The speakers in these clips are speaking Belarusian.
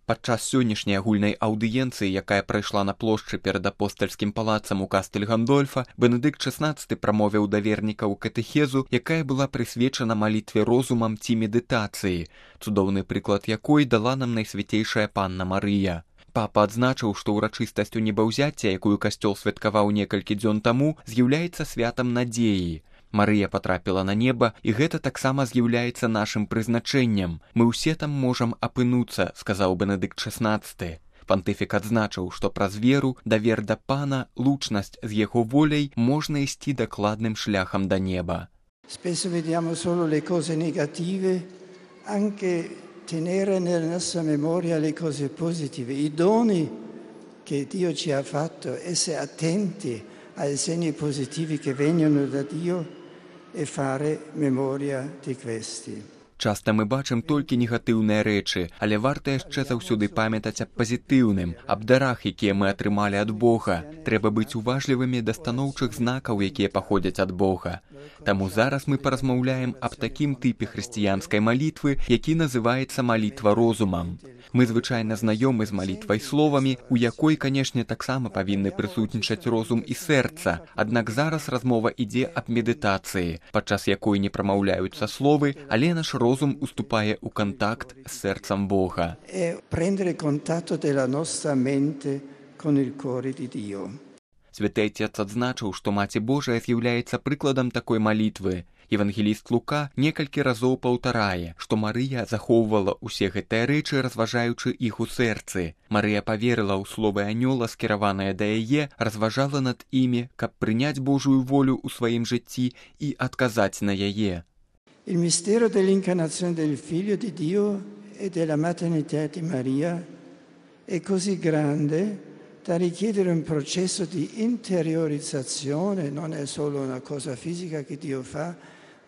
Падчас сённяшняй агульнай аўдыенцыі, якая прайшла на плошчы перад апостальскім палацам у кастэль Гандольфа, Бенедыкт XVI прамовіў да вернікаў катэхезу, якая была прысвечана малітве розумам ці медытацыі, цудоўны прыклад якой дала нам найсвяцейшая панна Марыя. Папа адзначыў, што ўрачыстасць небаўзяцця, якую касцёл святкаваў некалькі дзён таму, з'яўляецца святам надзеі. Марыя потрапіла на неба, і гэта таксама з'яўляецца нашым прызначэннем. Мы ўсе там можам апынуцца, сказаў Бенедыкт XVI. Пантыфік адзначыў, што праз веру, давер да Пана, лучнасць з яго воляй можна ісці дакладным шляхам да неба. Spesso vediamo solo le cose negative, anche tenere nella nostra memoria le cose positive, i doni che Dio ci ha fatto, essere attenti ai segni positivi che vengono da Dio e fare memoria di questi. Часта мы бачым толькі негатыўныя рэчы, але варта яшчэ заўсёды памятаць аб пазітыўным, аб дарах, якія мы атрымалі ад Бога. Трэба быць уважлівымі да станоўчых знакаў, якія паходзяць ад Бога. Таму зараз мы паразмаўляем аб такім тыпе хрысціянскай малітвы, які называецца малітва розумам. Мы звычайна знаёмы з малітвай словамі, у якой, канешне, таксама павінны прысутнічаць розум і сэрца. Аднак зараз размова ідзе аб медытацыі, падчас якой не прамаўляюцца словы, але наш розум уступае ў кантакт з сэрцам Бога. Prendere contatto della nostra mente con il cuore di Dio. Святы Отец адзначыў, што Маці Божая з'яўляецца прыкладам такой малітвы. Евангеліст Лука некалькі разоў паўтарае, што Марыя захоўвала ўсе гэтыя рэчы, разважаючы іх у сэрцы. Марыя паверыла ў словы анёла, скіраваныя да яе, разважала над імі, каб прыняць Божую волю ў сваім жыцці і адказаць на яе. Il mistero dell'incarnazione del Figlio di Dio e della maternità di Maria è così grande da richiedere un processo di interiorizzazione, non è solo una cosa fisica che Dio fa,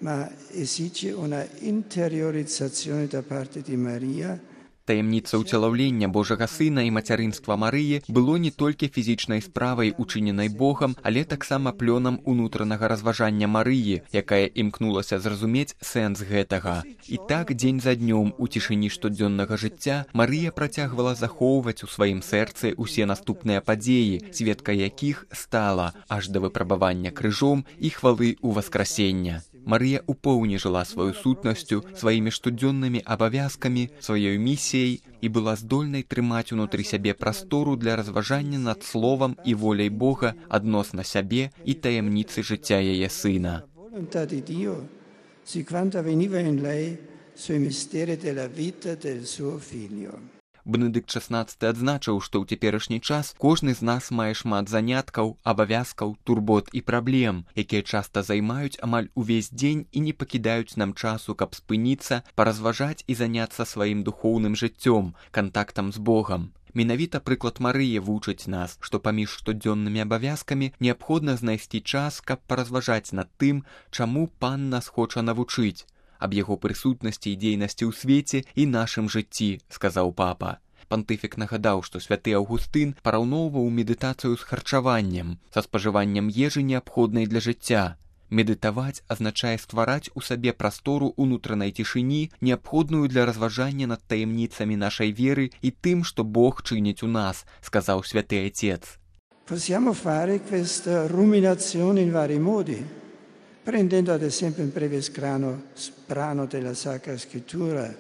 ma esige una interiorizzazione da parte di Maria. Таямніца ўцелаўлення Божага Сына і мацярынства Марыі было не толькі фізічнай справай, учыненай Богам, але таксама плёнам унутранага разважання Марыі, якая імкнулася зразумець сэнс гэтага. І так, дзень за днём, у цішыні штодзённага жыцця, Марыя працягвала захоўваць у сваім сэрцы ўсе наступныя падзеі, сведкай якіх стала аж да выпрабавання крыжом і хвалы ў васкрасення. Марыя ў поўні жыла сваю сутнасцю, сваімі штодзённымі абавязкамі, сваёй місіяй і была здольнай трымаць унутры сябе прастору для разважання над словам і воляй Бога адносна сябе і таямніцы жыцця яе сына. Бенедыкт XVI адзначыў, што ў цяперашні час кожны з нас мае шмат заняткаў, абавязкаў, турбот і праблем, якія часта займаюць амаль увесь дзень і не пакідаюць нам часу, каб спыніцца, паразважаць і заняцца сваім духоўным жыццём, кантактам з Богам. Менавіта прыклад Марыі вучыць нас, што паміж штодзённымі абавязкамі неабходна знайсці час, каб паразважаць над тым, чаму Пан нас хоча навучыць, аб яго прысутнасці і дзейнасці ў свеце і нашым жыцці, сказаў папа. Пантыфік нагадаў, што святы Аўгустын параўноўваў медытацыю з харчаваннем, са спажываннем ежы, неабходнай для жыцця. Медытаваць азначае ствараць у сабе прастору унутранай цішыні, неабходную для разважання над таямніцамі нашай веры і тым, што Бог чыніць у нас, сказаў святы Отец. Possiamo fare questa ruminazione in vari modi, prendendo ad esempio un breve brano della Sacra Scrittura,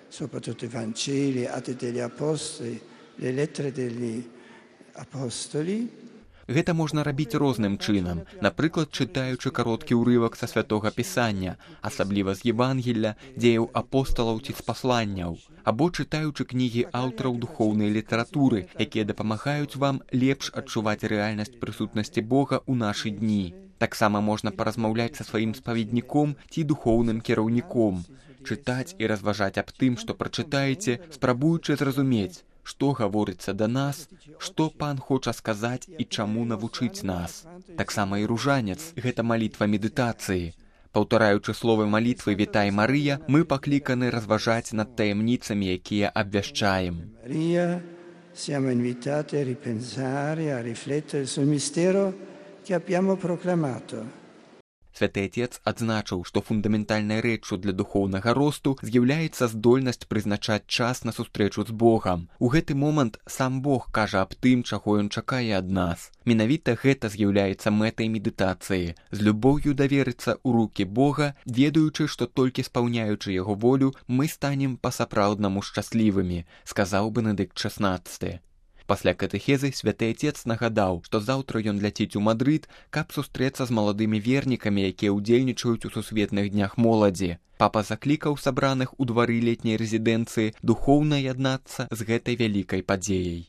soprattutto i Vangeli, Atti degli Apostoli, le lettere degli Apostoli. Гэта можна рабіць розным чынам, напрыклад, чытаючы кароткі ўрывак са святога Пісання, асабліва з Евангелля, дзеяў апосталаў ці з пасланняў, або чытаючы кнігі аўтараў духоўнай літаратуры, якія дапамагаюць вам лепш адчуваць рэальнасць прысутнасці Бога ў нашы дні. Таксама можна паразмаўляць са сваім спаведніком ці духоўным кіраўніком, чытаць і разважаць аб тым, што прачытаеце, спрабуючы зразумець, што гаворыцца да нас, што Пан хоча сказаць і чаму навучыць нас. Таксама і ружанец – гэта малітва медытацыі. Паўтараючы словы малітвы «Вітай, Марыя», мы пакліканы разважаць над таямніцамі, якія абвяшчаем. Марія, siamo invitati a ripensare, a riflettere sul mistero che abbiamo proclamato. Святы Отец адзначыў, што фундаментальнай рэччу для духоўнага росту з'яўляецца здольнасць прызначаць час на сустрэчу з Богам. У гэты момант сам Бог кажа аб тым, чаго ён чакае ад нас. Менавіта гэта з'яўляецца мэтай медытацыі. З любоўю даверыцца ў рукі Бога, ведаючы, што толькі спаўняючы яго волю, мы станем па-сапраўднаму шчаслівымі, сказаў Бенедыкт XVI. Пасля катэхезы святы Отец нагадаў, што заўтра ён ляціць у Мадрыд, каб сустрэцца з маладымі вернікамі, якія ўдзельнічаюць у сусветных днях моладзі. Папа заклікаў сабраных у двары летняй рэзідэнцыі духоўна яднацца з гэтай вялікай падзеяй.